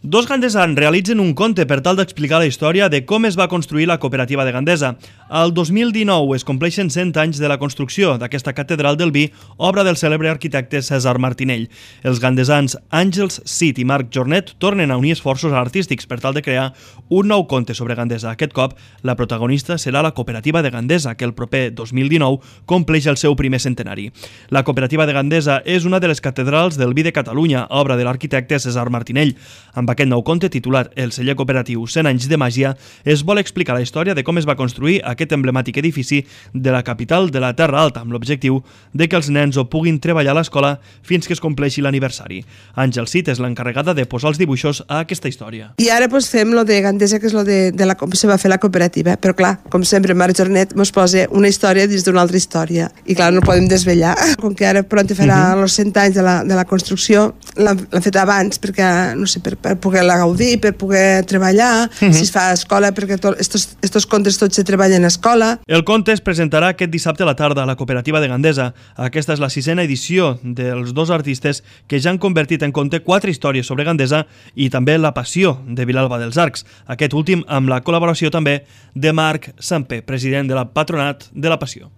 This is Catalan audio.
Dos gandesans realitzen un conte per tal d'explicar la història de com es va construir la cooperativa de Gandesa. El 2019 es compleixen 100 anys de la construcció d'aquesta catedral del vi, obra del cèlebre arquitecte Cèsar Martinell. Els gandesans Àngels Cid i Marc Jornet tornen a unir esforços artístics per tal de crear un nou conte sobre Gandesa. Aquest cop, la protagonista serà la cooperativa de Gandesa, que el proper 2019 compleix el seu primer centenari. La cooperativa de Gandesa és una de les catedrals del vi de Catalunya, obra de l'arquitecte Cèsar Martinell. Amb aquest nou conte, titulat El celler cooperatiu 100 anys de màgia, es vol explicar la història de com es va construir aquest emblemàtic edifici de la capital de la Terra Alta, amb l'objectiu de que els nens ho puguin treballar a l'escola fins que es compleixi l'aniversari. Àngel Cid és l'encarregada de posar els dibuixos a aquesta història. I ara fem lo de Gandesa, que és lo de com se va fer la cooperativa, però clar, com sempre, Marc Jornet ens posa una història dins d'una altra història, i clar, no podem desvetllar. Com que ara pront farà els 100 anys de la construcció, l'han fet abans, perquè, no sé, per poder-la gaudir, per poder treballar, si es fa a escola, perquè estos contes tots se treballen a escola. El conte es presentarà aquest dissabte a la tarda a la cooperativa de Gandesa. Aquesta és la 6a edició dels dos artistes que ja han convertit en conte 4 històries sobre Gandesa i també La passió de Vilalba dels Arcs, aquest últim amb la col·laboració també de Marc Samper, president de la Patronat de la Passió.